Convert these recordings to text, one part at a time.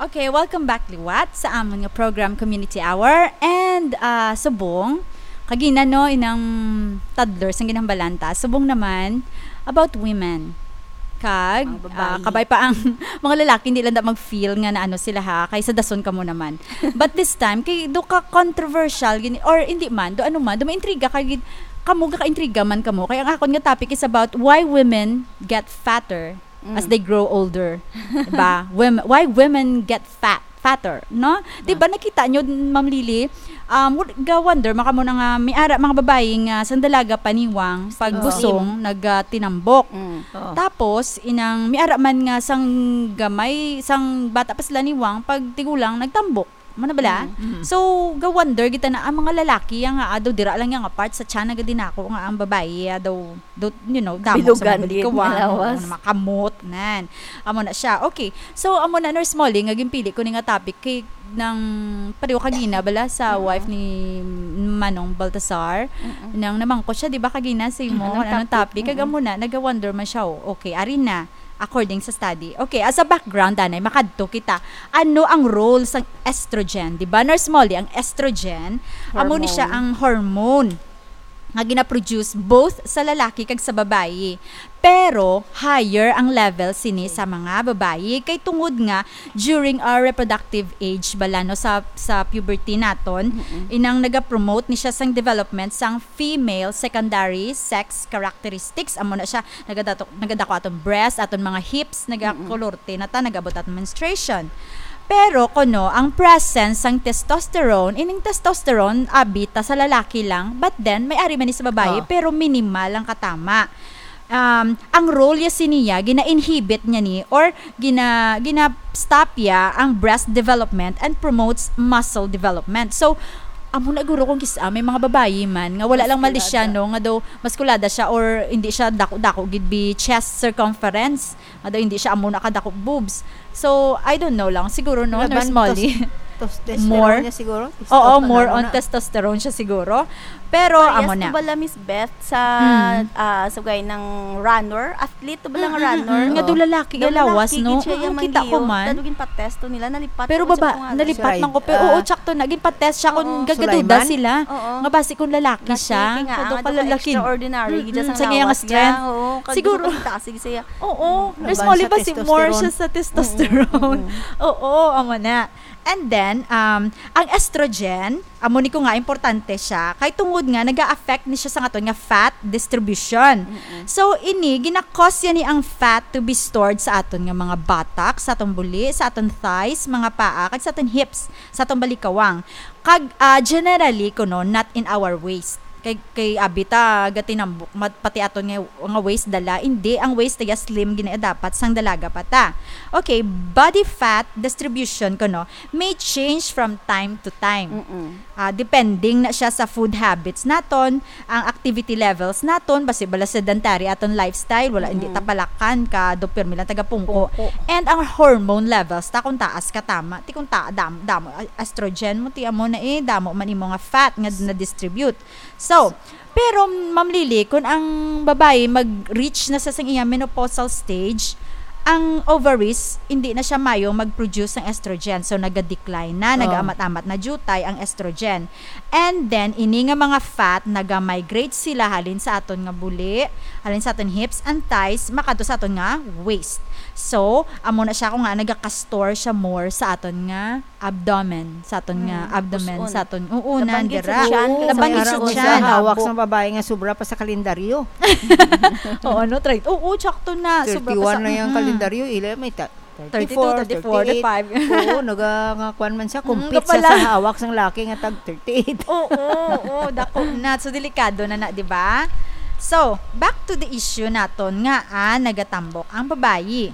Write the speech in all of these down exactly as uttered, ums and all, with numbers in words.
Okay, welcome back liwat sa amon nga program, Community Hour. And, ah, subong, kagina, no, inang toddlers ang ginhambalan ta. Subong naman about women. Kag, Mga babayi. ah, kabay pa ang mga lalaki, hindi lang da mag-feel nga na ano sila ha, kay sa dason kamo naman. But this time, kay do ka controversial, gini, or hindi man, do ano man, do maintriga ka, gid, kamo, gaka-intriga man kamo. Kaya ang akon nga topic is about why women get fatter as Mm. they grow older. Diba? Wom-, why women get fat, fatter, no? Diba, nakita nyo, Ma'am Lily, um, wal-, ga-wonder, maka mo na nga, may ara, mga babae nga, sang dalaga pa niwang, pag Oo. busong, nagtinambok. Mm. Oo. Tapos, inang, may ara man nga, sang gamay, sang bata pa sila niwang, pag tigulang, nagtambok. Mo na bala? Mm. Mm. So, ga-wonder kita na ang mga lalaki, ang nga, ado, dira lang nga part sa tiyan, nagadinako nga ang babae, ado, do, you know, damo sa Bilugan mga gid, balikawan, malawas. Ano, makamot, nan. Amo na siya. Okay. So, amo na, Nurse Molly, nga ginpili ko ni nga topic kay nang pareho kagina bala sa Mm. wife ni Manong Baltasar, Mm. nang namangkot siya, di ba, kagina sa imo, Mm, anong anong topic? Topic? Kag Mm. amo na, naga-wonder man siya, oh, okay, ari na, according sa study. Okay, as a background, anay, makadto kita. Ano ang role sang estrogen? Di ba, Nurse Molly, ang estrogen, amo ni siya Hormone. ang hormone nga ginaproduce both sa lalaki kag sa babayi. Pero higher ang level sini sa mga babayi, kay tungod nga during our reproductive age bala, no, sa, sa puberty naton, Mm-mm. inang nagapromote ni siya sang development sang female secondary sex characteristics. Amo na siya, nagadato-, nagadako aton breast, aton mga hips, Mm-mm. nagakolorte na ta, nagabot aton menstruation. Pero kuno ang presence sang testosterone, ining testosterone, abi ta sa lalaki lang, but then may ari man ni sa babayi, Oh. pero minimal ang katama. Um, ang role ya siniya, gina-inhibit niya ni, or gina-, gina-stop ya ang breast development and promotes muscle development. So, amo na guro kung kis-, ah, may mga babayi man nga wala lang Maskulada. malisya, no, nga daw maskulada siya or hindi siya dako-dako gid bi chest circumference. Nga daw hindi siya amo na kadako boobs. So, I don't know lang. Siguro, no, Laban Nurse Molly? tos-, tos-, testosterone More? niya siguro? Oo, Testosterone more on na. testosterone siya siguro. Pero, Parehas amo to na. bala, Miss Beth, sa, Mm. ah, sugay ng runner? Athlete to bala nga Mm, mm, runner? mm. Nga Oo. do lalaki Daw yung lawas, lalaki no? gid siya Mm, yung kita ko manliyo. man. Daw ginpa-test to nila, nalipat Pero ko sa baba, kung ano. nalipat Siya, man ko. Pero, ah, oo, tsakto na. Ginpa-test siya kung Oo. gagaduda Sulaiman? sila. Oo. Nga basi kung lalaki Laki, siya. kaya nga, Kado ang ka lalaki. extraordinary, Mm, gid mm, sa sa iyang ginalawas niya. strength. Oo, kag Siguro. gusto ko kita, sige, siya. Oo, Laban Nurse Molly, sa basi more testosterone. siya sa testosterone. Mm, mm, mm. Oo, amo na. And then, um, ang estrogen, amo ni ko nga importante siya, kay tungod nga naga-affect ni siya sa aton nga fat distribution. Mm-mm. So, ini, gina-cause yan ni ang fat to be stored sa aton nga mga buttocks, sa atong buli, sa aton thighs, mga paa, kag sa aton hips, sa atong balikawang. Kag, ah, generally, kuno, not in our waist. Kay, kay abi ta gatinambok, mat-, pati aton nga, nga waist dala, hindi, ang waist ta slim gina dapat sang dalaga pa ta. Okay, body fat distribution, kuno, may change from time to time. Mm-mm. Ah, depending na siya sa food habits naton, ang activity levels naton, basi bala sedentary aton lifestyle, wala, hindi Mm-mm. ta palakan ka, do pirmi lang taga pungko. Pungko. And ang hormone levels ta, kung taas ka tama, ti kung ta-, dam-, damo, a-, estrogen mo, ti amo na eh, damo man imo nga fat nga na-distribute. So, pero, Ma'am Lily, kung ang babae mag-reach na sa sang iya menopausal stage, ang ovaries, hindi na siya mayo mag-produce ng estrogen. So, naga-decline na, Oh. nag-amat-amat na jutay ang estrogen. And then, ini nga mga fat, naga-migrate sila halin sa aton nga buli, halin sa aton hips and thighs, makadto sa aton nga waist. So, amo na siya kung nga nagaka-store siya more sa aton nga abdomen, sa aton nga Mm, abdomen, pus-on. sa aton, oo, Laban gid sa nandira. tiyan, kay Laban sa gid sa tiyan. Sa hawak sa babae nga sobra pa sa kalendaryo. Oo, no, try. Oo, tsakto na. Sobra pa sa, thirty-one na yung mm. kalendaryo, ila may ta-, Thirty-two, thirty-four, thirty-eight. Thirty-five. Oo, naga-, nga kwan man siya, Mm, compete siya kapala. Sa hawak sang laki nga tag thirty-eight. Oo, oo, dako na. So, delikado na na, di ba? So, back to the issue naton nga, ah, nagatambok ang babayi.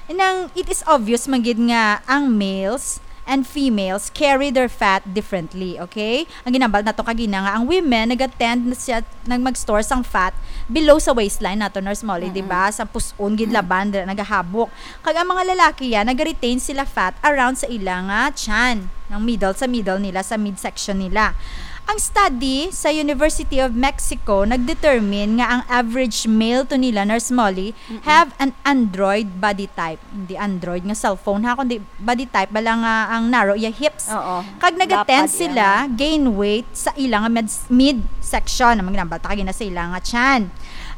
Nang, it is obvious man gid nga ang males and females carry their fat differently, okay? Ang ginambal nato kagina nga ang women nagatend na siya nag mag-store sang fat below sa waistline nato, Nurse Molly, Mm-mm. di ba? Sa pus-on gid laban, dira nagahabok. Kag ang mga lalaki yan, nag-retain sila fat around sa ila nga tiyan, ng middle, sa middle nila, sa midsection nila. Ang study sa University of Mexico nag-determine nga ang average male to nila, Nurse Molly, Mm-mm. have an Android body type. Hindi Android nga cellphone, ha, kundi body type, bala nga ang narrow iya hips. Oo. Kag nag-attend Lapad iya sila, gain weight sa ila nga med-, midsection. Ang ginambal ta kagina sa ila nga chan.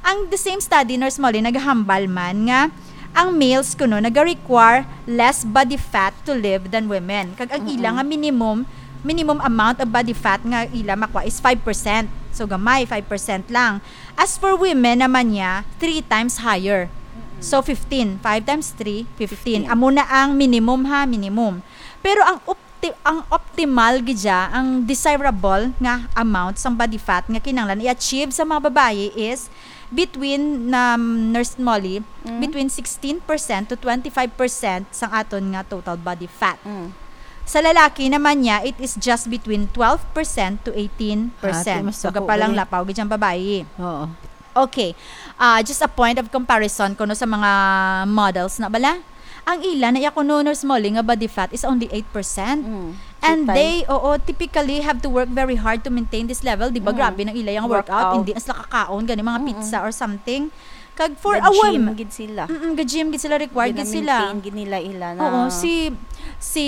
Ang the same study, Nurse Molly, naghambal man nga ang males kuno naga-require less body fat to live than women. Kag ang ila Mm-mm. nga minimum minimum amount of body fat nga ila makwa is five percent. So gamay, five percent lang. As for women naman niya, three times higher. So fifteen, five times three, fifteen. Fifteen. Amo na ang minimum, ha, minimum. Pero ang opti- ang optimal gid siya, ang desirable nga amount sang body fat nga kinahanglan i-achieve sa mga babayi is between, um, Nurse Molly, Mm. between sixteen percent to twenty-five percent sang aton nga total body fat. Mm. Sa lalaki naman niya, it is just between twelve percent to eighteen percent. Ah, mas So, dako kapalang gali. Lapaw gid ang babayi. Oo. Okay. Ah, just a point of comparison kuno sa mga models na bala. Ang ila na iya kuno, Nurse Molly, nga body fat is only eight percent. Mm. And Two they, oo, typically have to work very hard to maintain this level. Di ba, Mm. grabe nang ila yung workout. Workout. Hindi na sila kakaon gani mga Mm-mm. pizza or something. Kag for a Ga-gym woman, gid sila. Mm, ga-gym gid sila, required gid sila. Gina-maintain gid nila ila na. Oo, si si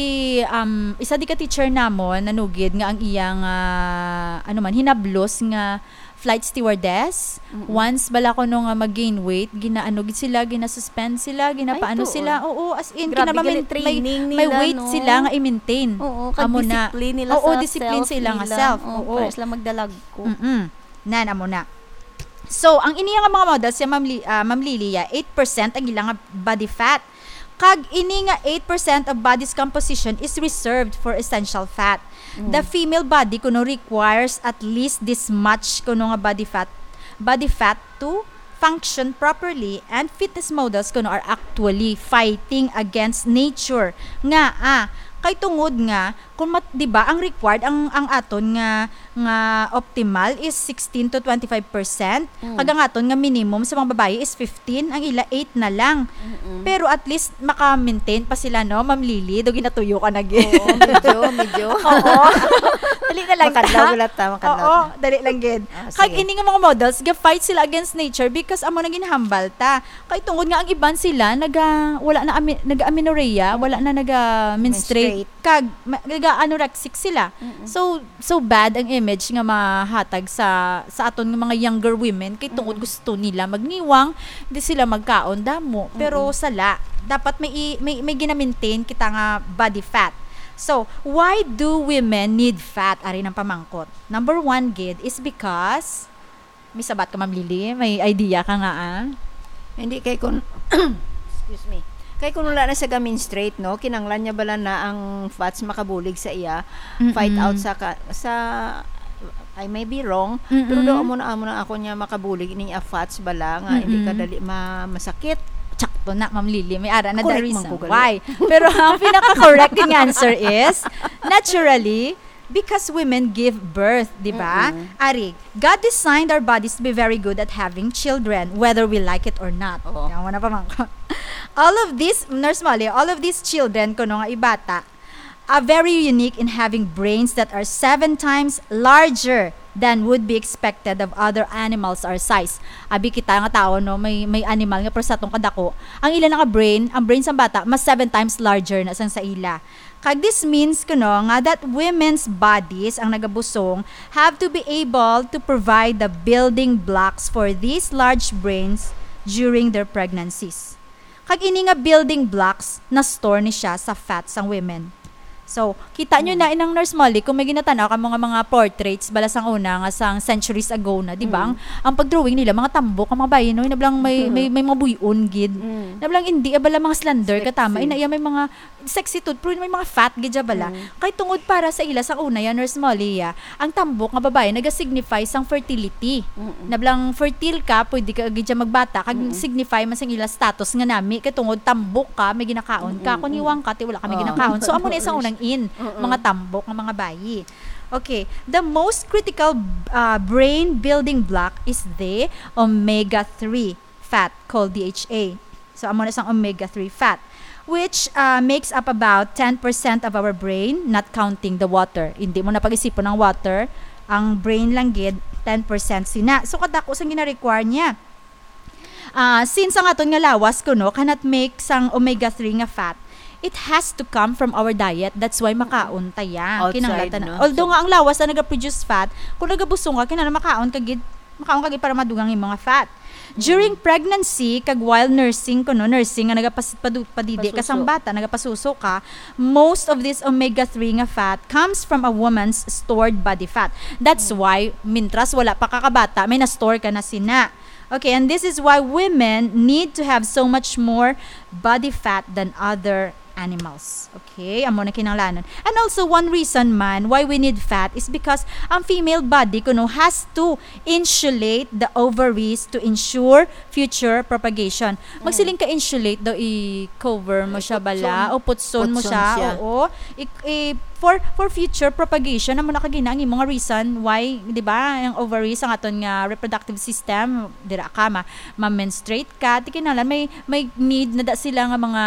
um isa di ka teacher namon nanugid nga ang iyang ah, ano man, hinablos nga flight stewardess. Mm-mm. Once bala kuno nga mag-gain weight, ginaano gid sila, ginasuspend sila, ginapaano Ay, tuon. Sila. Oo, as in Grabe kinaba- gali, may, training may nila, weight no? Sila nga i-maintain. Oo, kag Amo na. Disiplin nila Oo, sa disiplin self sa ila nga nila. Self. Oo, Oo. Para sila magdalagko. Mm-mm. Nan, amo na. So, ang ini nga mga models, si Ma'am Li-, ah, Ma'am Lily, ah, eight percent ang ila nga body fat. Kag ini nga eight percent of body's composition is reserved for essential fat. Mm. The female body kuno requires at least this much kuno nga body fat, body fat to function properly, and fitness models kuno are actually fighting against nature nga, ah, kay tungod nga kung mat-, di ba, ang required, ang, ang aton nga nga optimal is sixteen to twenty-five percent. Mm. Kag ang aton nga minimum sa mga babayi is fifteen, ang ila eight na lang. Mm-mm. Pero at least maka-maintain pa sila, no? Ma'am Lily, do ginatuyo ka na gid. Oo, medyo, medyo. Oo. Dali na lang Makadlaw ta. gila ta, makadlaw Oo, ta. Dali lang gid. Ah, Kag sige. Ini nga mga models, ga-fight sila against nature because amo nang ginhambal ta. Kay tungod nga ang iban sila naga wala na ami-, naga-amenorrhea, wala na naga-menstruate. Menstruate. Kag ma-, naga-anorexic sila. Mm-mm. So so bad ang image nga mahatag sa sa aton nga mga younger women kay tungod Mm. gusto nila magniwang, di sila magkaon damo. Pero Mm-mm. Sala, dapat may i-, may, may gina-maintain kita nga body fat. So, why do women need fat? Ari nang pamangkot. Number one gid is because, may sabat ka, Ma'am Lily? May idea ka nga, ah? Hindi, kay kun, excuse me. Kay kun wala na sa ga-menstruate, no, kinanglan niya bala na ang fats makabulig sa iya, fight Mm-mm. out sa ka, sa, I may be wrong, Mm-mm. pero do amo na, amo na ako niya makabulig ni a fats bala nga hindi ka Mm-mm. Dali ma, masakit. Tsakto na, Ma'am Lily. May ara na the Correct man reason ko gali. Why. Pero ang pinaka-correct nga answer is, naturally, because women give birth, di ba? Mm-mm. Ari, God designed our bodies to be very good at having children, whether we like it or not. Oo. Yan, wala pa man ko. All of these, Nurse Molly, all of these children, kuno nga ibata, are very unique in having brains that are seven times larger than would be expected of other animals our size. Abi kita nga tao, no, may, may animal nga pero sa atong kadako, ang ila na nga brain, ang brain sa bata, mas seven times larger na sang sa ila. Kag this means kuno nga that women's bodies ang nagabusong have to be able to provide the building blocks for these large brains during their pregnancies. Kag ini nga building blocks na-store ni siya sa fat sang women. So, kita nyo na inang Nurse Molly, kung may ginatanaw ka mga, mga portraits bala sang una nga sang centuries ago na, di ba? Mm. Ang, ang pag-drawing nila, mga tambok ang mga bayi, no? Nablang may, Mm. may, may mga buyon gid. Mm. Nablang hindi, ah, bala mga slender, Sexy. Katama, ina iya may mga sexy tooth, pero may mga fat gid siya bala. Mm. Kay tungod para sa ila sang una ya, Nurse Molly, ya, ang tambok nga babae naga-signify sang fertility. Mm-mm. Nablang fertile ka, pwede ka gid siya magbata, kag Mm-mm. signify man sang ila status nga nami, kay tungod tambok ka, may ginakaon ka. Mm-mm. Kung hiwang ka, ti wala ka may Oo. ginakaon. So, amo na isang unang in, Mm-mm. mga tambok nga mga bayi. Okay, the most critical uh, brain building block is the omega three fat called D H A. So, amo na isang omega three fat, which uh, makes up about ten percent of our brain, not counting the water. Hindi mo na pag-isipon ang water. Ang brain lang gid, ten percent sina. So, kadako sang gina-require niya. Ah, since ang aton nga lawas kuno cannot make sang omega three nga fat, it has to come from our diet. That's why makaon ta ya. Kinahanglan Outside, ta na. no? Although So nga ang lawas na nagaproduce fat, kung nagabusong ka, kinahanglan makaon ka gid, makaon ka gid para madugang yung mga fat. During pregnancy, kag while nursing kuno, nursing nga nagapas-, padu-, padidi ka sang Pasuso. bata, nagapasuso ka, most of this omega three nga fat comes from a woman's stored body fat. That's why, mintras wala pa ka kabata, may na-store ka na sina. Okay, and this is why women need to have so much more body fat than other animals. Okay, amo na kinahanglanon. And also, one reason man why we need fat is because ang female body kuno has to insulate the ovaries to ensure future propagation. Magsiling ka insulate daw, i-cover mo siya bala, Putson. o putson mo Putson siya, siya. oo. I, i, for, for future propagation, amo na kagina ang imo nga reason why, di ba, ang ovaries, ang aton nga reproductive system, dira ka, ma, ma-menstruate ka, ti kinahanglan may, may need na da sila nga mga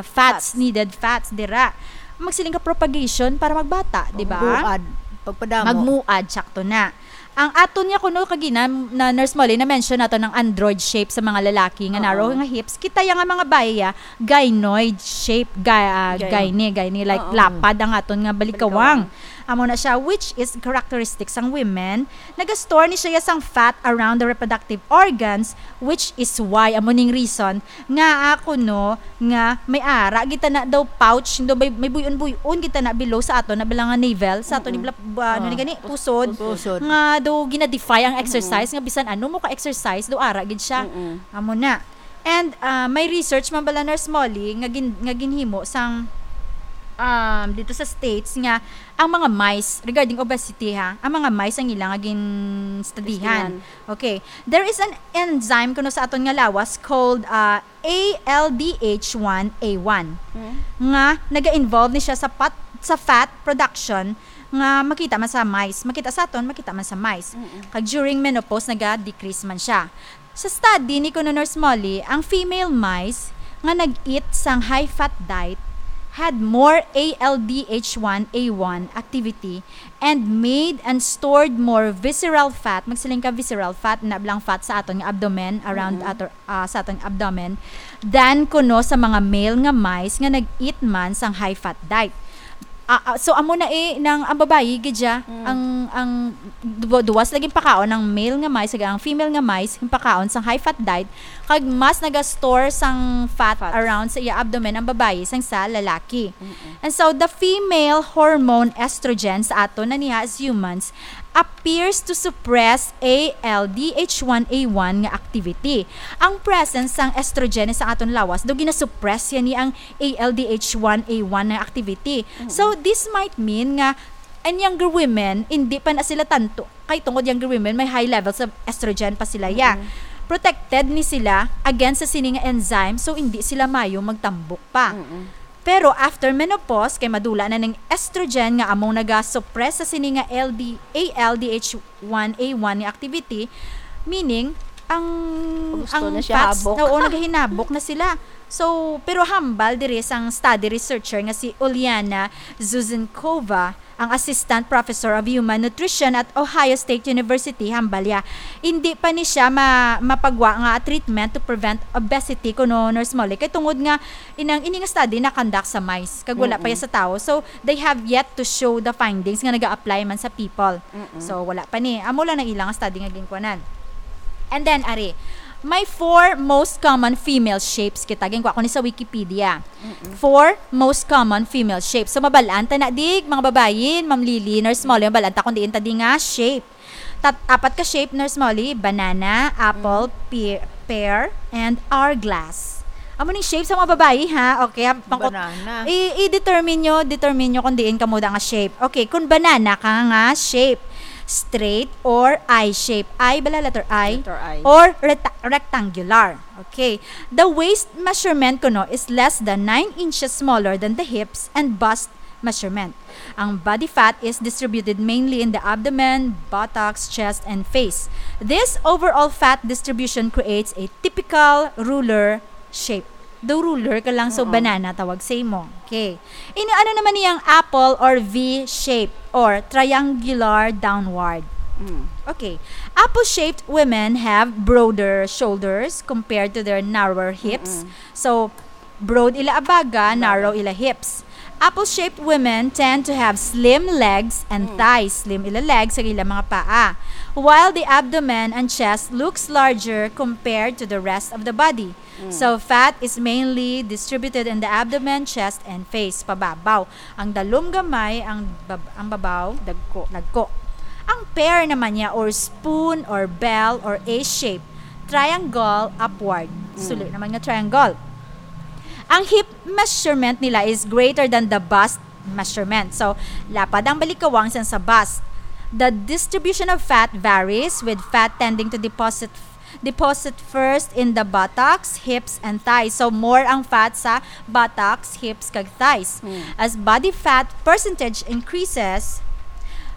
fats, Fats. needed fats, dira. Magsiling ka propagation para magbata, di ba? Magmuad. Pagpadamo. Magmuad, sakto na. Ang aton nga kuno kagina na Nurse Molly, na-mention nato ng android shape sa mga lalaki nga Oo. narrow nga hips. Kita ya nga mga bayi ya, gynoid shape, ga-, ah, Gyno. gyne, gyne, like Oo. lapad ang aton nga balikawang. Balikawang. Amo na siya, which is characteristic sang women. Nagastore ni siya sang fat around the reproductive organs, which is why, amo ning reason, nga ako, no, nga may ara gid tana daw pouch, daw may, may buyon-buyon gid tana below sa ato na bala nga navel, sa ato ni Mm-mm. bla-, bu-, ano ni Ah. gani, pusod, Pusod. nga daw gina-defy ang exercise, Mm-mm. nga bisan ano mo ka-exercise, daw ara gid siya. Mm-mm. Amo na. And, ah, may research man bala, Nurse Molly, nga gin-, nga ginhimo sang, um, dito sa States nga ang mga mice, regarding obesity ha, ang mga mice ang ila nga ginstudihan. Studihan. Okay. There is an enzyme kuno sa aton nga lawas called, ah, A L D H one A one Hmm. nga naga-involve ni siya sa pat-, sa fat production nga makita man sa mice, makita sa aton, makita man sa mice. Mm-mm. Kag during menopause, naga-decrease man siya. Sa study ni kuno Nurse Molly, ang female mice nga nag-eat sang high-fat diet had more A L D H one A one activity and made and stored more visceral fat, magsiling ka visceral fat, na blang fat sa aton nga abdomen, around Mm-mm. ato, ah, sa aton abdomen, than kuno sa mga male nga mice nga nag-eat man sang high-fat diet. Ah, ah, so amo na eh, nang ang babayi gid siya, Mm. ang, ang duwa-, duwas lagi pakaon ang male nga mice, kag ang female nga mice, yung pakaon sang high-fat diet, kag mas naga-store sang fat Fats. around sa iya abdomen ang babayi sang sa lalaki. Mm-mm. And so, the female hormone estrogen sa ato na niya as humans appears to suppress A L D H one A one nga activity. Ang presence sang estrogen sa aton lawas, do ginasuppress yan ni ang A L D H one A one nga activity. Mm-mm. So, this might mean nga, and younger women, hindi pa na sila tanto, kay tungod younger women, may high levels of estrogen pa sila, ya. Mm-mm. Protected ni sila against sa sini nga enzyme, so hindi sila mayo magtambok pa. Mm-mm. Pero after menopause, kay madula na ning estrogen nga among naga-suppress sa sini nga L D, A L D H one A one nga activity, meaning, ang, Gusto ang na siya fats, habok. oo, nagahinabok na sila. So, pero hambal diri sang study researcher nga si Uliana Zuzenkova, ang Assistant Professor of Human Nutrition at Ohio State University, hambal ya, hindi pa ni siya ma-, mapagwa nga treatment to prevent obesity, kuno, Nurse Molly. Kay tungod nga, inang, ini nga study na-conduct sa mice, kag wala pa Mm-mm. ya sa tao. So, they have yet to show the findings nga naga-apply man sa people. Mm-mm. So, wala pa ni. Amo lang ang ilang study nga ginkuanan. And then, ari, may four most common female shapes kita. Ginkuha ko ni sa Wikipedia. Mm-mm. Four most common female shapes. So, mabalaan ta na, dig, mga babayin, Ma'am Lily, Nurse Molly, mabalaan ta kung diin ta di nga shape. Tat-, apat ka shape, Nurse Molly: banana, apple, Mm. pe-, pear, and hourglass. Amo ning shape sa mga babayi, ha? Okay, ha? Pangkot-, Banana. i-, i-determine nyo, determine nyo kung diin kamo da nga shape. Okay, kung banana ka nga shape, straight or I shape. I, bala, letter I. Letter I. Or reta-, rectangular. Okay. The waist measurement kuno is less than nine inches smaller than the hips and bust measurement. Ang body fat is distributed mainly in the abdomen, buttocks, chest, and face. This overall fat distribution creates a typical ruler shape. Do ruler ka lang, so Oo. banana tawag sa imo. Okay. Ini, ano naman niyang apple or V shape? or triangular downward. Mm. Okay. Apple-shaped women have broader shoulders compared to their narrower hips. Mm-mm. So, broad ila abaga, narrow ila hips. Apple-shaped women tend to have slim legs and Mm. thighs. Slim ila legs, kag ila mga paa. While the abdomen and chest looks larger compared to the rest of the body. Mm. So, fat is mainly distributed in the abdomen, chest, and face. Pababaw. Ang dalom gamay, ang bab-, ang babaw, dagko. Dagko. Ang pear naman niya, or spoon, or bell, or A shape. Triangle upward. Mm. Suli naman nga triangle. Ang hip measurement nila is greater than the bust measurement. So, lapad ang balikawang sang sa bust. The distribution of fat varies, with fat tending to deposit deposit first in the buttocks, hips, and thighs. So, more ang fat sa buttocks, hips, kag thighs. Hmm. As body fat percentage increases,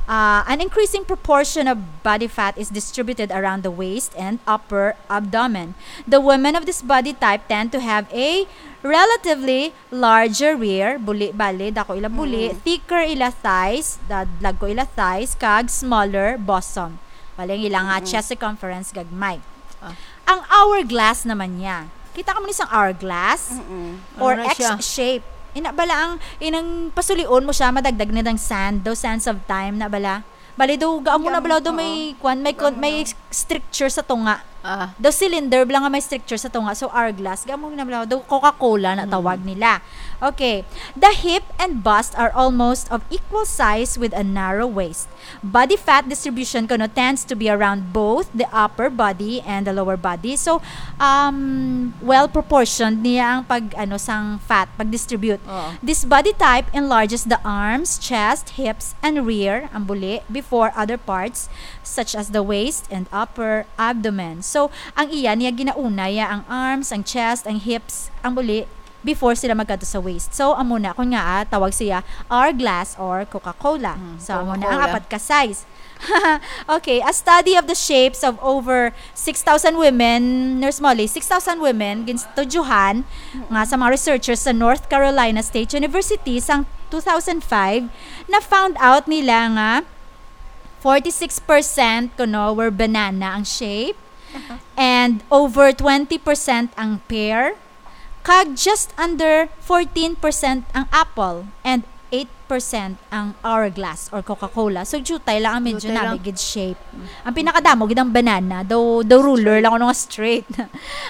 uh, an increasing proportion of body fat is distributed around the waist and upper abdomen. The women of this body type tend to have a relatively larger rear, buli, bali, dako ila buli, Mm. thicker ila thighs, da-, dagko ila thighs, kag smaller bosom. Bali, ang ila nga Mm-mm. chest circumference gagmay. Ah. Ang hourglass naman niya. Kita ka mo ni sang hourglass? Mm-mm. Or Ano na X siya? shape. Ina bala ang, inang pasulion mo siya, madagdag na ng sand, daw sands of time na bala. Bali, daw, gaamo na Gaamo, bala, daw oo. may, kwan, may, Gaamo kon-, may na. stricture sa tunga. Ah. Daw cylinder bala nga may stricture sa tunga. So, hourglass, gaamo na bala, daw Coca-Cola na Mm. tawag nila. Okay. The hip and bust are almost of equal size with a narrow waist. Body fat distribution kuno tends to be around both the upper body and the lower body. So, um, well proportioned niya ang pag, ano, sang fat, pag-distribute. Oo. This body type enlarges the arms, chest, hips, and rear, ang buli, before other parts, such as the waist and upper abdomen. So, ang iya niya ginauna ya ang arms, ang chest, ang hips, ang buli, before sila magkadto sa waist. So, amo na, kung nga, ah, tawag siya hourglass or Coca-Cola. Mm, So, amo na ang Coca-Cola. apat ka size. Okay, a study of the shapes of over six thousand women, Nurse Molly, six thousand women, ginstudyohan nga sa mga researchers sa North Carolina State University sang two thousand five, na found out nila nga forty-six percent kuno were banana ang shape, Uh-huh. and over twenty percent ang pear, kag just under fourteen percent ang apple, and eight percent ang hourglass or Coca-Cola. So, diutay lang ang medyo Diutay lang. nami gid shape. Mm. Ang pinakadamo gid ang banana, daw, daw ruler Straight. lang, ano nga straight.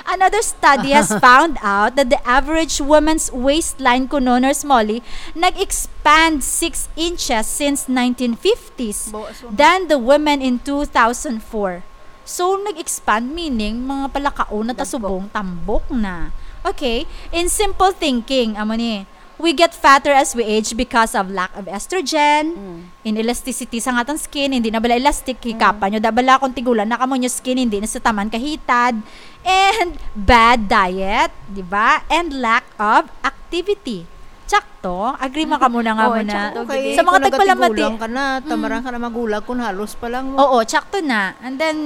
Another study has found out that the average woman's waistline kuno, Nurse Molly, nag-expand six inches since nineteen fifties Bo-, so than the women in two thousand four. So, nag-expand, meaning, mga palakaon na ta Dagko. subong tambok na. Okay, in simple thinking, amo ni, we get fatter as we age because of lack of estrogen, Mm. inelasticity sa atong skin, hindi na bala elastic, Mm. hikapan nyo, da bala kung tigulang na kamo nyo skin, hindi na sa taman kahitad, and bad diet, di ba? And lack of activity. Tsakto, agree man kamo na nga Oo, mo na. tsakto, Okay, gid. Sa mga kung tagpalamati. nagkatigulang ka na, Mm. tamaran ka na magulang kung halos pa lang mo. Oo, tsakto na. And then,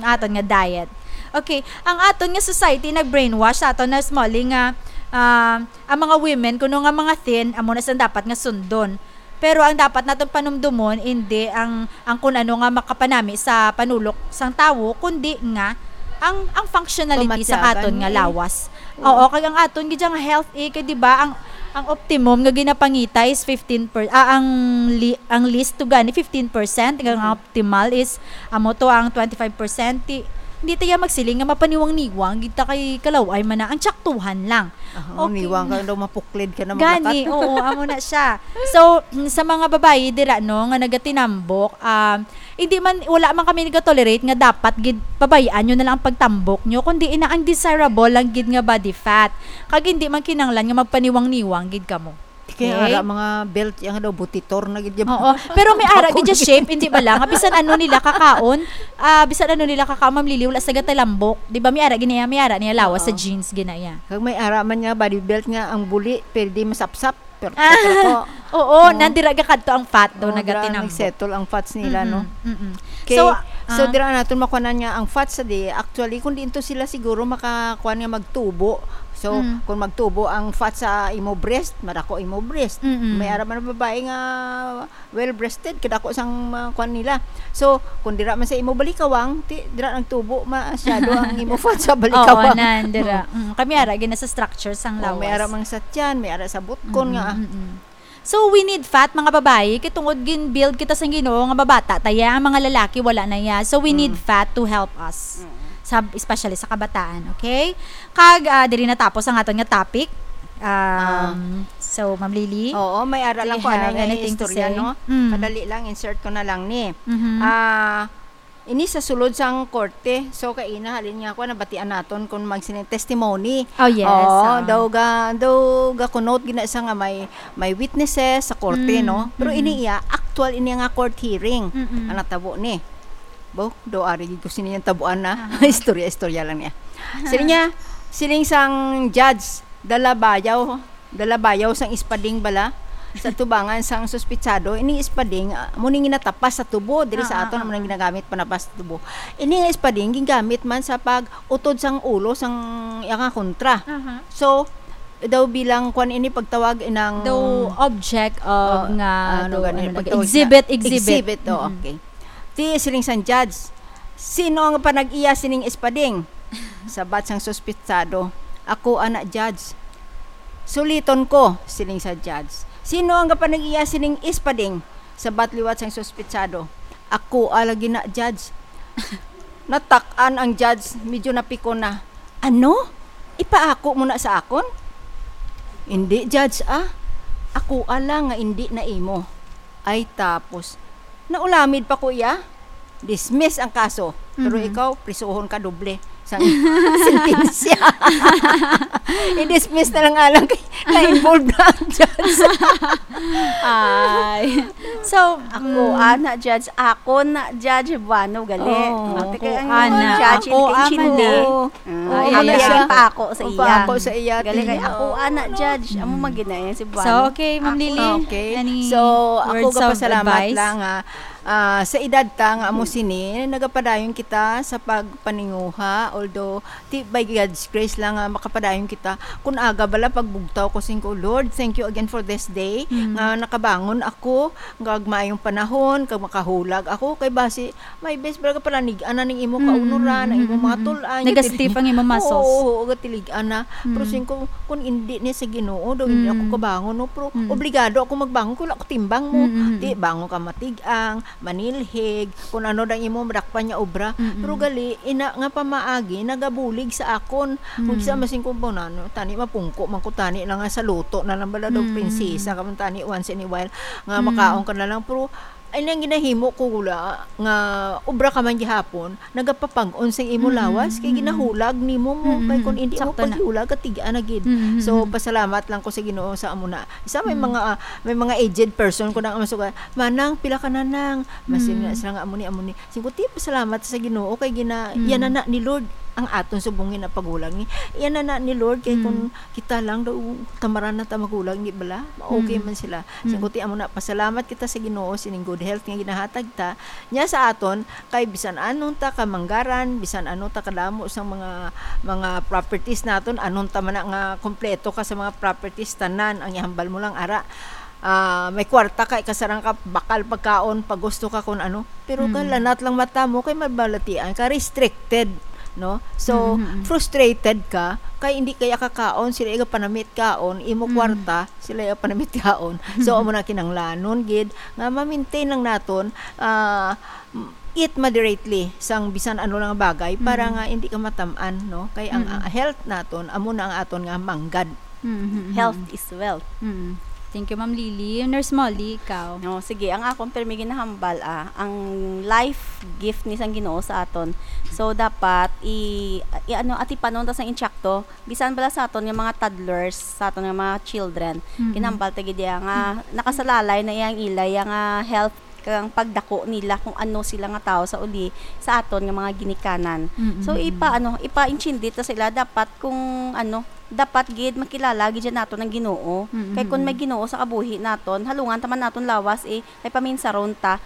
aton nga diet. Okay, ang aton nga society nag-brainwash sa aton na small nga, ah, ang mga women, kuno nga mga thin, amo na sila dapat nga sundon. Pero ang dapat naton panumdumon, hindi ang, ang kun ano nga makapanami sa panulok sang tawo, kundi nga ang, ang functionality sa Pamatyagan aton nga ni. lawas. Oo. Oo, kag ang aton gid nga health, eh, kay di ba, ang, ang optimum nga ginapangita is fifteen per, ah, ang li-, ang least to gani fifteen percent, kag ang Mm. optimal is, amo to ang twenty-five percent. Ti-, hindi tayo magsiling nga mapaniwang-niwang gid ta kay kalaw-ay man na ang tsaktuhan lang. Ah, Okay. niwang ka daw, mapuklid ka na Gani, maglakat. oo, amo na siya. So, mm, sa mga babayi dira, no, nga nagatinambok, um, hindi man, wala man kami nagatolerate nga dapat gid pabayaan nyo na lang ang pagtambok nyo, kundi ina ang desirable lang gid nga body fat. Kag hindi man kinahanglan nga magpaniwang-niwang gid kamo. Kaya Okay? ara, mga belt, yang daw, butitor na gid yung Oo. Pero may ara gid Bakong yung shape, hindi ba lang? Nga bisan ano nila kakaon, ah, bisan ano nila kakaon, Ma'am Lily, wala sa gatalambok. Di ba, may ara gid niya, may ara niya lawas sa Oo. jeans, gid na iya. Kag may ara man nga body belt nga ang buli, pwede masapsap. Pero, Ah, pero ko, oo, oo. nandira gakadto ang fat daw, Oo, nagatinambok. nagsettle ang fats nila, Mm-mm, no? mm-mm. Okay. So, So, Ah. dira naton makuanan nga ang fats sa di, actually, kung diin to sila siguro makakuan nga magtubo. So, Mm. kung magtubo ang fats sa imo breast, madako imo breast. Mm-mm. May ara man ang babae nga well-breasted, kadako sang mga kuan nila. So, kung dira man sa imo balikawang, ti, dira nagtubo, masyado ang imo fats sa Oo, balikawang. anan, dira. Mm. Mm, kami ara, gina sa structure sang Oh, may lawas. ara man sa tiyan, may ara sa butkon Mm-mm, nga, ah. mm-mm. So, we need fat, mga babayi, kay tungod gin-build kita sang Ginoo nga mabata ta ya, ang mga lalaki wala na ya. So, we need Mm. fat to help us. Mm. Sa, especially sa kabataan, okay? Kag, ah, diri natapos ang aton nga topic. Um, Ah. so, Ma'am Lily, Oo, may ara do lang you ko anay have nga anything to istorya, say? No? Mm. Kadali lang, insert ko na lang ni. Mhm. Ah, ini sa sulod sang korte. So, kaina, halin nga ako, nabatian naton kung magsining testimony. Oh, yes, Oo, ah. daw ga, daw ga kunot gina siya nga may, may witnesses sa korte, Mm, no? Pero mm. ini iya, actual ini nga court hearing. Mm-mm. Ang natabo ni. Bo, daw ari gid ko sini yung tabuan na. Aha. Istorya-istorya lang niya. Sini niya, siling sang judge, dala bayaw, dala bayaw sang espading bala, sa tubangan sang suspitsado. Ining espading, ah, mo ning ginatapas sa tubo, diri sa Ah, ah, aton ah, mo nang ah. ginagamit panapas sa tubo. Ini nga espading, gigamit man sa pag-utod sang ulo sang iya nga kontra. Aha. So, daw bilang kwan ini pagtawag inang Daw object of Oh, nga, ano daw, gani, ano, pagtawag exhibit, na, exhibit. exhibit, oh, Mm-mm. okay. Ti siling sang judge, "Sino ang panag-iya sining espading?" Sabat sang suspitsado, "Ako, ana, judge." "Suliton ko," siling sa judge. "Sino ang panag-iya sining espading?" Sabat liwat sang suspitsado, "Ako, ah, lagi na, judge." Natak-an ang judge, medyo napikon na. "Ano? Ipaako mo na sa akon?" "Indi, judge, ah. Ako, ah, lang nga indi na imo." Ay, tapos, naulamid pa ko iya. Dismiss ang kaso. Pero Mhm. ikaw, prisuhon ka doble sa sentensya. I-dismiss na lang alang kay na-involved na ang judge. Ay. So, Ako, mm. ana, judge. Ako na, judge. Buano, gali. Oo, Ate, ako, kay ang ana. judge, Ako, hindi ama intindi. na. Ah, Oh, ay, ano ay, siya? ay, pa ako sa Oh, iya. pa ako sa iya, Gali kay tingnan. ako, ana, Ano? judge. Amo Mm. magina yan si Buano. So, okay, Ma'am Ako. Lily, Okay. any So, ako words of gapasalamat advice? lang, ha. Ah, sa edad ta nga amo sini, nagapadayon kita sa pagpaninguha, although, ti, by God's grace lang nga makapadayon kita. Kun aga bala pagbugtaw ko, sing ko, "Lord, thank you again for this day," Mm. nga nakabangon ako, nga maayong panahon, kag makahulag ako, kay basi, may best bala ka palanig-an na ning imo Mm, kaunuran, ang mm, imong mga mm, mm. tul-an, Nagastiff gatilig-, ang imong muscles. Oo, oo, gatilig-an na. Pero Mm. sing ko, kun indi ni sa Ginoo, daw hindi ako Mm. kabangon, no? Pero Mm. obligado ako magbangon, kung wala ko timbang mo. Mm, mm, Di, mm. bangon ka matig-ang, manilhig, kung ano dang imo madakpan nga obra. Mm, mm. Pero gali, ina nga pamaagi, nagabulig sa akon. Kung Mm. sa masing kung po na, no? Tani mapungko, man ko tani lang nga sa luto na lang bala daw, Mm. prinsesa, ka man tani once in a while, nga Mm. makaon ka na lang. Pero, ay nang ginahimo ko gula, nga obra ka man gihapon, nagapapag-on sa imo Mm, lawas, kay mm. ginahulag nimo mo, Mm, kay kung mm. hindi mo Sakto na. paghiulag, katigaan na gid. Mm, mm, So, mm. pasalamat lang ko sa Ginoo sa amo na. Isa may Mm. mga, ah, may mga aged person ko nang masuga, "Manang, pila ka na nang?" Masin Mm. na sila nga, "Amo ni, amo ni." Singko, "Ti, pasalamat sa Ginoo kay gina-, Mm. yan na na ni Lord ang aton subong nga paghulag ni. Yan na na ni Lord kay Mm. kung kita lang daw, tamaran na ta maghulag ni bala, ma-, okay Mm. man sila." Mm. Singko, "Ti, amo na, pasalamat kita sa Ginoo sining good health nga ginahatag ta niya sa aton, kay bisan anong ta kamanggaran, bisan ano ta kadamo sang mga, mga properties naton, anong ta man na nga kompleto ka sa mga properties, tanan ang ihambal mo lang ara." Ah, may kwarta ka, ikasarang ka, bakal pagkaon, pagusto ka kung ano. Pero Mm. kalanat lang mata mo, kay mabalatian ka, restricted, no? So, Mm, mm, mm. frustrated ka, kay hindi kaya kakaon, sila iga panamit kaon, imo Mm. kwarta, sila iga panamit kaon. So, amo na kinanglanon, gid, nga ma-maintain lang naton, ah, eat moderately sang bisan ano lang nga bagay para Mm. nga hindi ka matam-an, no? Kay ang, Mm. ah, health naton, amo na ang aton nga manggad. Mm, mm, mm. Health is wealth. Mm. Thank you, Ma'am Lily. Nurse Molly, ikaw? No, sige, ang akon permi ginahambal, ah, ang life gift ni sang Ginoo sa aton. So, dapat i, i, ano, atipanon ta sang insakto, bisan bala sa aton nga mga toddlers, sa aton nga mga children, Mm. ginahambal ta gid iya nga nakasalalay na iyang ila, iya nga health kag ang pagdako nila kung ano sila nga tawo sa uli sa aton nga mga ginikanan. Mm, So, mm, ipa, mm. ano, ipa-intindi ta sa ila dapat kung, ano, dapat gid makilala gid siya naton ang Ginoo. Mm, Kay kung mm, may mm. Ginoo sa kabuhi naton, halungan ta man naton lawas, eh, kay paminsaron ta.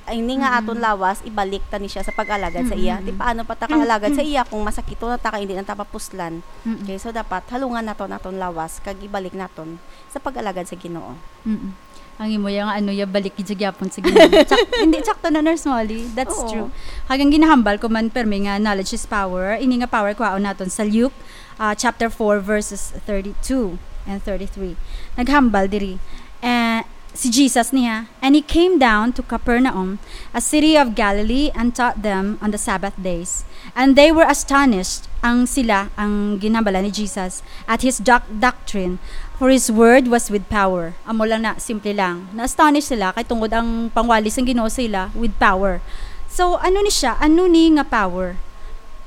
Ang ini nga Mm-mm. aton lawas, ibalik ta ni siya sa pag-alagad sa iya. Di Mm-mm. paano pa ta kahalagad sa iya kung masakit na ta kay hindi na ta papuslan? Mm-mm. Okay, so dapat halungan naton aton lawas kag ibalik naton sa pag-alagad sa Ginoo. Mm-mm. Ang imo yang ano ya balik gid sa gyapon sa Ginoo. Tsak-, hindi, tsakto na, Nurse Molly. That's Oo. True. Kag ang ginahambal ko man permi nga knowledge is power. Ini nga power kuhaon naton sa Luke, ah, chapter four, verses thirty-two and thirty-three. Naghambal diri. Eh, si Jesus niya, "And he came down to Capernaum, a city of Galilee, and taught them on the Sabbath days. And they were astonished," ang sila, ang ginhambalan ni Jesus, "at his doc-, doctrine, for his word was with power." Amo lang na, simple lang. Na-astonish sila kay tungod ang pangwali sang Ginoo sa ila with power. So, ano ni siya? Ano ni nga power?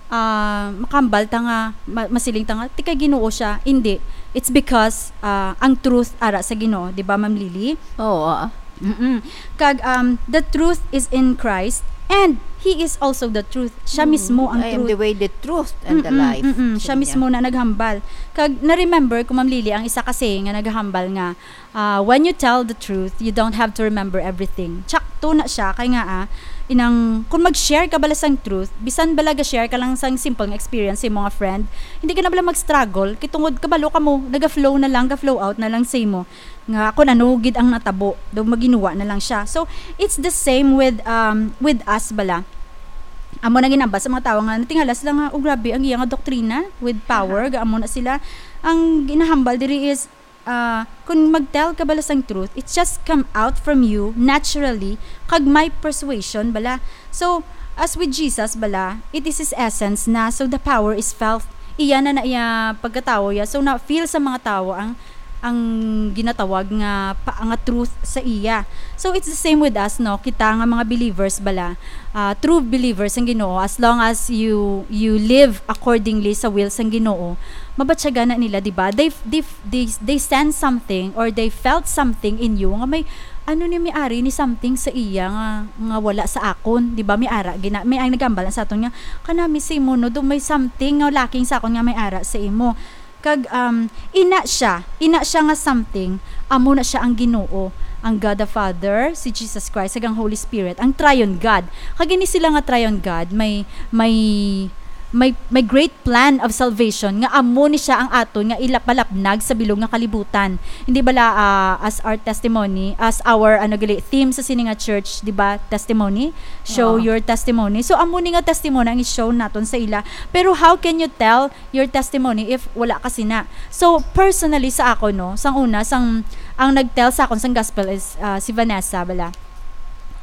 Ah, makambal ta nga, ma-, masiling ta nga, ti kay Ginoo siya. Hindi. It's because, ah, ang truth ara sa Ginoo, di ba, Ma'am Lily? Oo, ah. Mm-mm. Kag, um, the truth is in Christ, and He is also the truth. Siya Mm. mismo ang I am truth. The way, the truth, and the Mm-mm, life. mm-mm. Siya Sabi mismo niya. Na naghambal. Kag na-remember ko, Ma'am Lily, ang isa ka saying nga naghambal nga, ah, "When you tell the truth, you don't have to remember everything." Tsakto na siya, kay nga, ah, inang, kung mag-share ka bala sang truth, bisan bala ga-share ka lang sang simple nga experience sa imo nga friend, hindi ka na bala mag-struggle, kay tungod kabalo ka mo, naga-flow na lang, ga-flow out na lang sa imo. Nga kung ano gid ang natabo, daw maginuwa na lang siya. So, it's the same with, um, with us bala. Amo na ginambal sa mga tawo nga natingala sila nga, "Oh, grabe ang iya nga doktrina with power," ga amo na sila. Ang ginahambal diri is, ah, kung mag-tell ka bala sang truth, it's just come out from you naturally, kag may persuasion bala. So, as with Jesus bala, it is his essence na, so the power is felt. Iya na na iya pagkatawo ya. So, na-feel sa mga tawo ang, ang ginatawag nga pa, nga truth sa iya. So, it's the same with us, no? Kita nga mga believers bala, ah, true believers ang Ginoo, as long as you, you live accordingly sa will sang Ginoo, mabatyagan na nila, di ba? They, they, they, they sense something or they felt something in you nga may, ano ni, may ari ni something sa iya nga, nga wala sa akon, di ba? May ara, gina, may ang nagambal sa aton nga, "Kanami si mo, no, do may something nga lacking sa akon nga may ara sa imo." Kag, um, ina siya, ina siya nga something, amo na siya ang Ginoo, ang God the Father, si Jesus Christ, kag ang Holy Spirit, ang Triune God. Kag ini sila nga Triune God, may, may, may, may great plan of salvation nga amo ni siya ang aton nga ilapalapnag sa bilog nga kalibutan. Hindi bala, ah, as our testimony, as our, ano gali, theme sa sini nga church, di ba, testimony? Show Oo. Your testimony. So, amo ni nga testimony ang i-show naton sa ila. Pero how can you tell your testimony if wala ka sina? So, personally sa ako, no, sang una, sang, ang nag-tell sa akon sang gospel is, ah, si Vanessa bala.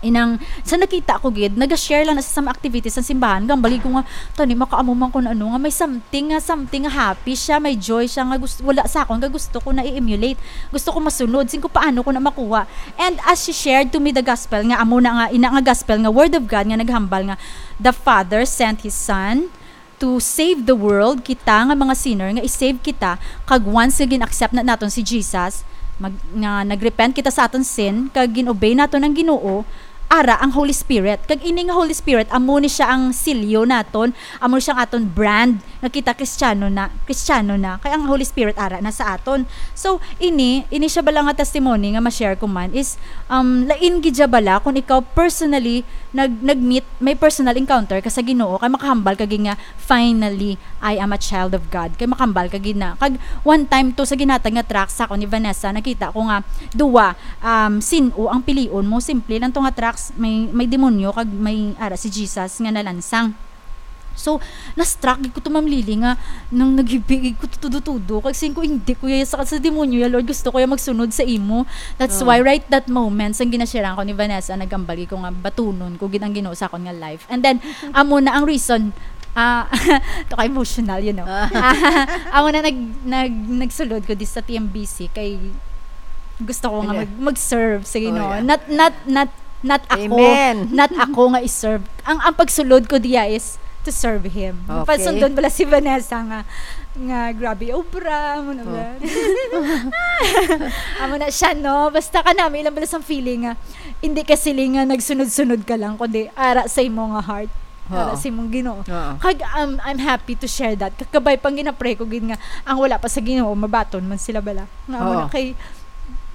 Inang, sa nakita ko gid, naga-share lang na sa mga activities sa simbahan, gambali ko nga, "Tani, makaamo man kun ano, nga may something, nga something, nga happy siya, may joy siya, nga gusto, wala sa akon, nga gusto ko na i-emulate. Gusto ko masunod, sin ko paano ko na makuha." And as she shared to me the gospel, nga amo na nga, ina nga gospel, nga word of God, nga naghambal nga, the Father sent His Son, to save the world, kita nga mga sinner, nga i-save kita, kag once nga gin-accept na naton si Jesus, mag, nga nag-repent kita sa aton sin, kag gin-obey naton ang Ginoo, ara ang Holy Spirit. Kag ini nga Holy Spirit, amo ni siya ang silyo naton, amo ni siya ang aton brand, nga kita Kristiyano na, Kristiyano na. Kay ang Holy Spirit ara na sa aton. So, ini, ini siya bala nga testimony nga ma-share ko man is, um, lain gid siya bala kung ikaw personally nag, nag-meet, may personal encounter ka sa Ginoo, kay makahambal ka gid nga, "Finally, I am a child of God." Kay makahambal ka gid na. Kag one time to sa ginhatag nga tracts sa akon ni Vanessa, nakita ko nga duwa, um, sin-o ang pilion mo. Simple lang to nga tracts, may, may demonyo kag may ara si Jesus nga nalansang. So, na-struck gid ko to, Ma'am Lily, nga nang naghibig ko to tudo-tudo, kag sin ko, "Hindi ko ya sa, sa demonyo ya, Lord, gusto ko ya magsunod sa imo." That's Oo. Why right that moment, sang ginasharean ko ni Vanessa, nagambal gid ko nga batunon ko gid ang Ginoo sa akon nga life. And then, amo na ang reason, ah, to ka emotional, you know. Ah. Amo na nag, nag, nagsulod ko di sa T M B C, kay gusto ko nga Ano? mag, mag-serve sa Ginoo. Oh, yeah. Not, not, not, not ako. Amen. Not ako nga i-serve. Ang, ang pagsulod ko diya is to serve Him. Okay. Pasundon bala si Vanessa nga, nga grabe, obra, mo na Oh. ba? Amo na siya, no? Basta kanami lang bala sang feeling nga, hindi ka siling nga nagsunod-sunod ka lang, kundi ara sa imo nga heart. Ara Oo. sa imong Ginoo. Oo. Kag, um, I'm happy to share that. Kag kabay pang ginapray ko gid nga, ang wala pa sa Ginoo, mabaton man sila bala. Nga amo Oo. na kay,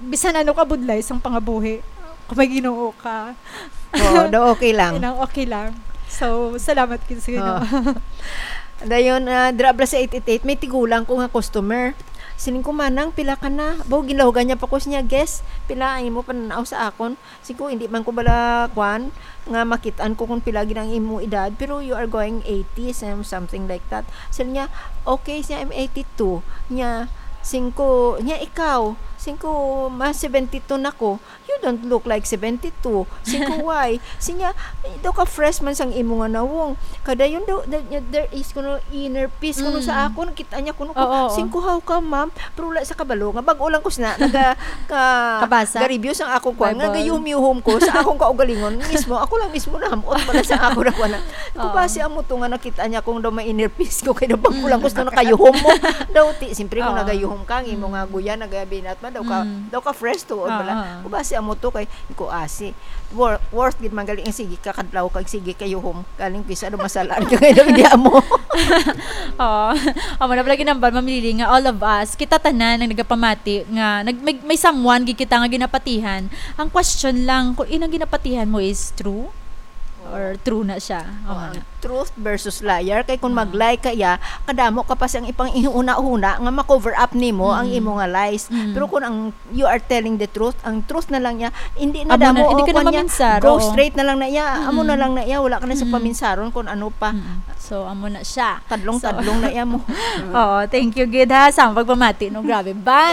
bisan ano ka budlay sang pangabuhi, may Ginoo ka. Oo, daw okay lang. Inang okay lang. So, salamat gid sa Ginoo. Dayon, ah, dira bala sa eight eight eight, may tigulang ko nga customer. Siling ko, "Manang, pila ka na?" Baw, ginlahugan niya pa ko siya, "Guess, pila ang imo pananaw sa akon?" Siling ko, "Hindi man ko bala, kwan, nga makit-an ko kung pila gid ang imo edad, pero you are going eighties," and something like that. Siling niya, "Okay," siya, "I'm eighty-two." Niya, siling ko, niya, "Ikaw?" Siling ko, "Mas seventy-two na ko." "You don't look like seventy-two." Siling ko, "Why?" Siling niya, "Eh, daw ka fresh man sang imo nga nawong." Kadayon daw, there, there is kuno inner peace kuno sa Mm. akon. Kita niya kuno ko. Oo, oo. Siling ko, "How come, ma'am?" Pero wala sa kabalo nga bag-o lang ko sina naga ka Kabasa? ga-review sang akong kwan, nga Bible. gayuhom-yuhom ko sa akong kaugalingon mismo. Ako lang mismo nahamot pala sa ako na kwan. Ko, Oo. "Basi amo to nga nakita niya kung daw may inner peace ko, kay daw bag-o lang ko sina nakayuhom mo." Daw ti, siyempre kung Oo. nagayuhom ka, ang imo nga guya nagabinat man, daw ka, Mm. daw ka fresh to, Oo, bala. oo. Ko, "Basi amo to kay," ko, "Asi, wor-, worth gid man gali ang sige ka kadlaw kag sige kayuhom. Galing kisa daw masala ka kay daw hindi amo." Oo. Amo na pala ginambal, Ma'am Lily, nga all of us, kita tanan ang nagapamati nga nag, may, may someone gid kita nga ginapatihan. Ang question lang, kung inang ginapatihan mo is true or true na siya. Oh, Amo ang na. Truth versus liar, kay kung Ah. mag-lie ka ya, kadamo ka pa siyang ipang ihuna-huna nga ma-cover up nimo ang Mm. imo nga lies. Mm. Pero kung ang you are telling the truth, ang truth na lang niya, hindi na Amo na, damo, hindi o, ka na kanya, maminsar, ghost oo. rate na lang na iya, amo na Mm-mm. lang na iya, wala ka na sa Mm-mm. paminsaron kung ano pa. Mm-mm. So, amo na siya. Tadlong-tadlong So, na iya mo. Oo, thank you gid ha sa pagpamati, no, grabe ba?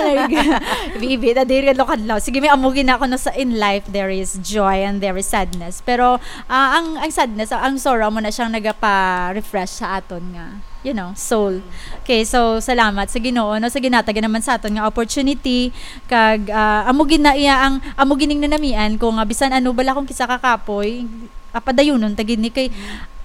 Ibi-ibi na diri kadlaw-kadlaw. Sige, may amo gid na ako na sa in life there is joy and there is sadness. Pero ah, ang ang sadness, ang sorrow mo na siyang nagapa-refresh sa aton nga, you know, soul. Okay, so salamat sa Ginoo, no, sa ginatag naman sa aton nga opportunity kag ah, amo gid na iya ang amo gining nanamian ko nga bisan ano bala kung kisa ka kapoy, ah, padayunon ta gid ni kay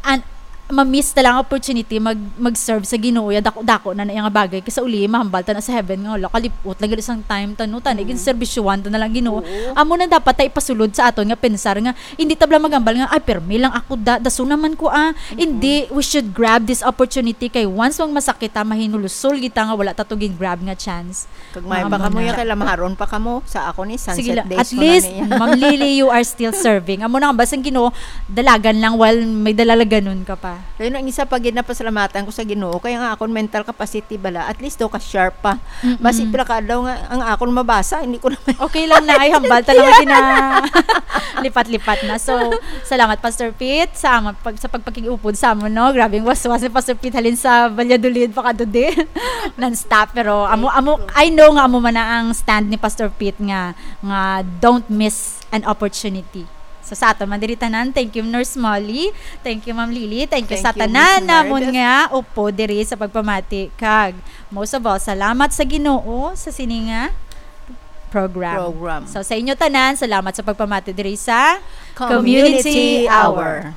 an ma-miss ta lang ang opportunity mag mag-serve sa Ginoo ya dako-dako na na iya nga bagay kay sa uli mahambal ta na sa heaven nga wala kalipot lang gid sang time ta no tani gin serbisyuhan ta na lang Ginoo. Oo. Amo na dapat ta ipasulod sa aton nga pensar nga hindi ta bala maghambal nga ay permi lang ako da daso naman ko ah. Hindi, we should grab this opportunity kay once mang masakit ta mahinulusol kita nga wala ta to gin grab nga chance. Kag may pa Amo kamo na. Ya kay lamaharon pa kamo sa ako ni Sige sunset lang. days At mo least, na niya. Ma'am Lily, you are still serving. Amo na nga, basang Ginoo, dalagan lang while may dalaganon ka pa. Kaya ang isa pa gid na pasalamatan ko sa Ginoo kaya nga akon mental capacity bala at least daw ka sharp pa. Mm-mm. Basi pila ka adlaw nga ang akon mabasa hindi ko na may Okay lang na ay hambal talaga gina lipat-lipat na. So, salamat Pastor Pete sa amon pag sa pagpakig-upod sa amon no. Grabing waswas ni Pastor Pete halin sa Valladolid pa kadto di. Non-stop pero amo amo I know nga amo man na ang stand ni Pastor Pete nga nga don't miss an opportunity. So sa aton man diri tanan, thank you Nurse Molly, thank you Ma'am Lily, thank you sa Thank you, tanan Miss namon Meredith. Nga upod diri sa pagpamati kag most of all salamat sa Ginoo sa sini nga program. Program. So sa inyo tanan, salamat sa pagpamati diri sa Community Hour.